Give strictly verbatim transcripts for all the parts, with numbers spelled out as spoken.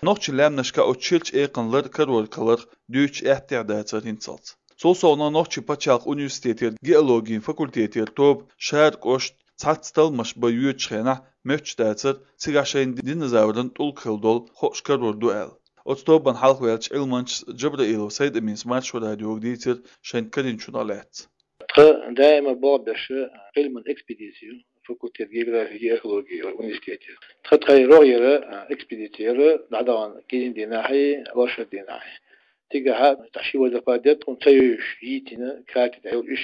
Нохчийн лаьмнашка оцу ширачу экханна лар карор каларх дуьйцуш аьттехьа дацара хӀинцалц. Цул совнаха Нохчийн пачхьалкхан университетера геологин факультетера тоба Шара кӀошта цхьацца талламаш бан йоьдучу хенахь моьттуш дацара, цигахь шайна динозавран тӀулг хилла долу хууш карор ду аьлла. Оцу тобанна хьалхаваьллачу Ӏилманчас Джабраилов Сайд-Аминас Маршо радиога дийцира шайна карийначух лаьцна. Тхан даима болх беш Ӏилман экспедици ю факультет географии и археологии университете. Тхан тхайн рогӀера экспедици яра дӀадахана кӀиран дийнахьий, оршот дийнахьий. Цигахь тӀаккха ши водопад яра, тхуна ца йовзуш йитина, карте тӀехь йолу, уьш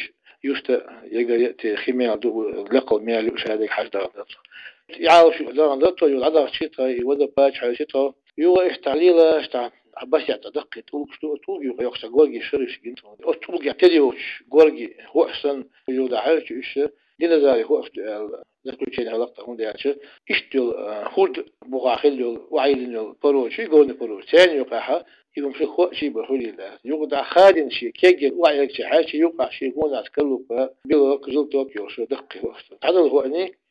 юста ягара а те хи мел ду, лекхал мел ю, уьш хьаьдерг хьажа дахана дара тхо. И Ӏалашо дахана дара тхо, юха дӀадахча тхо, и водопад чу хьаьвсира тхо. Юха иштта лелаш, тӀаккха а басехь тӀе даккхий тӀулгаш ду, оцу тӀулган юкъа йоккхуш цхьа горгий шараш гина тхуна. Оцу тӀулгехь тера йолчу горгий хууш санна, юха дӀахьаьвсича уьш, динозаврий хууш ду аьлла заключение хилла тхуна, хӀунда аьлча иштта йолу, а, хӀорда бухахь хилла йолу, охьайиллина йолу породаш, горный породаш. Церан юкъахь и хӀума ши хууш а бан хуьлийла. Юха дӀа хадийна шен кегийчу охьаергчу хьаьрчий юкъахь шен гонах скорлупа, белок, желток йолуш даккхий хууш ду. Цхьадолу хууш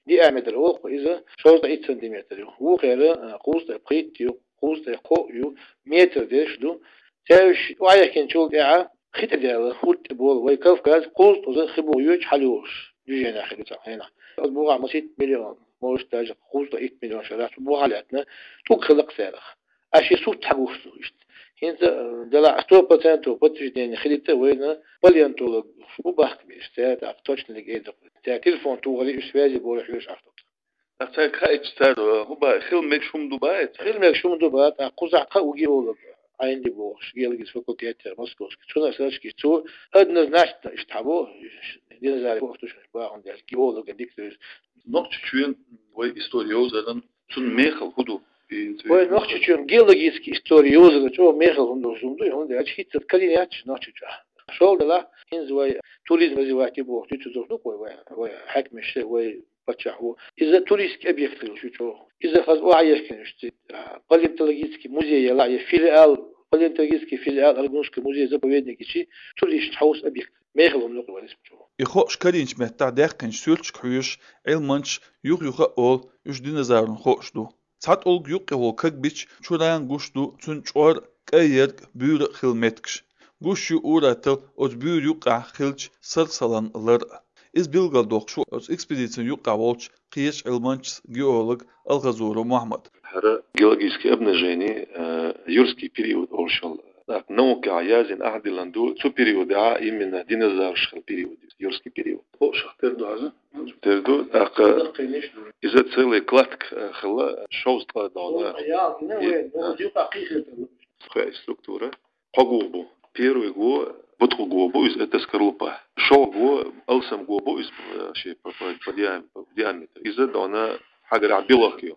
диаметр олу-кх иза, шовзткъе итт сантиметр ю. Вукхара, а, кхузткъе пхийтта ю, кхузткъе кхоъ ю, метр дерш ду. Цаьршинна охьаехкинчул тӀаьхьа хи тӀе даьлла, хӀорда тӀе болу вай Кавказ кхузткъа хи буха йоьдуш хьалайолуш движени хир ю цхьана хенахь. Оцу бухахь масийтта миллион, может, даже кхузткъе итт миллион шарахь цу бухахь лаьттина тӀулг хилла-кх царах. Аш и сурт хьагуш ду иштта. ХӀинца, э, делахь сто процентов подтверждение хилийта вайна палеонтологаш бу бахкабеш, цара тӀаккха точно дерг эр ду. Цара телефон тухур ю, уьш связи болу, хьоьжуш Ӏаш ду. Ткъа цаьрга хаийтича цара, э, хӀун боху, хила мегаш хӀума ду боху цара? Хила мегаш хӀума ду боху, ткъа кхузахь кхаа геолог, Ӏайнди бохуш, геологический факультетера Московский. Цунах сарачкийча цо однозначно иштта хьабо, динозаврий хууш ду шуна боху, хӀунда аьлча геологан дика ду иза. Нохчийчоьнан вай истори йовзаран цуьнан мехала хӀун ду? И цуьнан... Вай Нохчийчоьнан геологический истори йовзаран чӀогӀа мехала хӀума долуш хӀума ду, хӀунда аьлча хӀинцца карийна яц Нохчийчохь. ШолгӀа делахь, хӀинца вай туризм развивать е бохуш дуьйцур ду-кх вай, вай, вай хьаькамаша, вай паччахьо. Иза туристский объект хилла ю чӀогӀа. Иза хаза охьаехкина уьш цига, а, палеонтологический музей ялахь, я филиал, палеонтологический филиал Аргунский музей заповедникичи туристаш хьовса объект. Мехала хӀума ду-кх вай иза чӀогӀа. И хууш карийначу меттехь даьккхинчу суьрташка хьоьжуш, Ӏилманчаша юха-юха а олу, уьш динозавран хууш ду. Цхьа тӀулг юккъе волу каг бича чураан гуш ду цуьнан чкъор а, кӀайерг а, буьйра а хилла меттигаш. Гуш ю ур-атталла оцу буьйра юккъехь хиллачу сарсалан лар а. Иза билгалдоккхуш ву оцу экспедицин юккъехь волчу кхечу Ӏилманчас, геолога Алхазуров Мухьаммада. ХӀара геологическое обнажение, э, юрский период олуш йолу. ТӀаккха наукехь яздина, ахь диллина ду, цу периодехь именно динозавраш хилла период, юрский период. Хууш тера ду хьажа? Тера ду, тӀаккха иза целый кладка, э, хилла, шовзткъа дона. Тхоьца структура. Кхо го бу. Первый го буткъа го бу, иза это скорлупа. ШолгӀа го алсам го бу, иза, э, ши по, по, по диам-, по диаметру. Иза дона хьагарахь белок ю.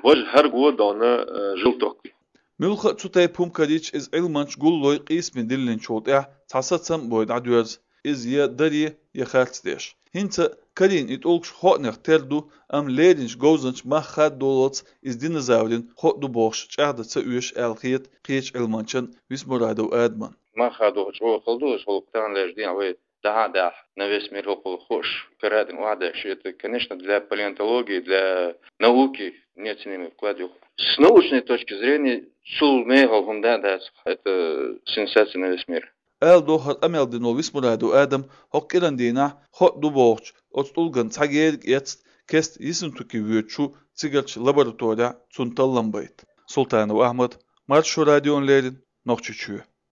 Важа хӀара го дона, э, желток ю. Муьлхха а цу тайпа хӀума карийча, иза Ӏилманчаша гуллой къийсаме диллинчул тӀаьхьа цхьа сацам а бой дӀадоьрзу, иза я даре, я харц деш. ХӀинца карийна и тӀулгаш хоанех тера ду, амма леринчу говзанчаша мах хаддолалц иза динозаврин хууш ду бохуш чӀагӀдан ца оьшу аьлла хета кхечу Ӏилманчан Висмурадов Адаман. Мах хадо чӀогӀа хала ду, аса хӀокху таханлерчу дийнахь вай дахьа а дахьа, на весь мир хӀокхул хууш, карадина охьадеш, это, конечно, для палеонтологии, для науки неоценимый вклад ю. С научной точки зрения, цул мехала хӀума да а дац, это сенсация на весь мир. Ала догӀу хӀара къамел дина волу Висмурадов Адам, хӀокху кӀиран дийнахь хууш ду бохучу оцу тӀулган цхьа герга эцна, кеста Ессентуки воьдуш ву цигарчу лабораторехь цунна таллам байта. Султанов Ахьмад, Маршо радиона леррина, Нохчийчоь.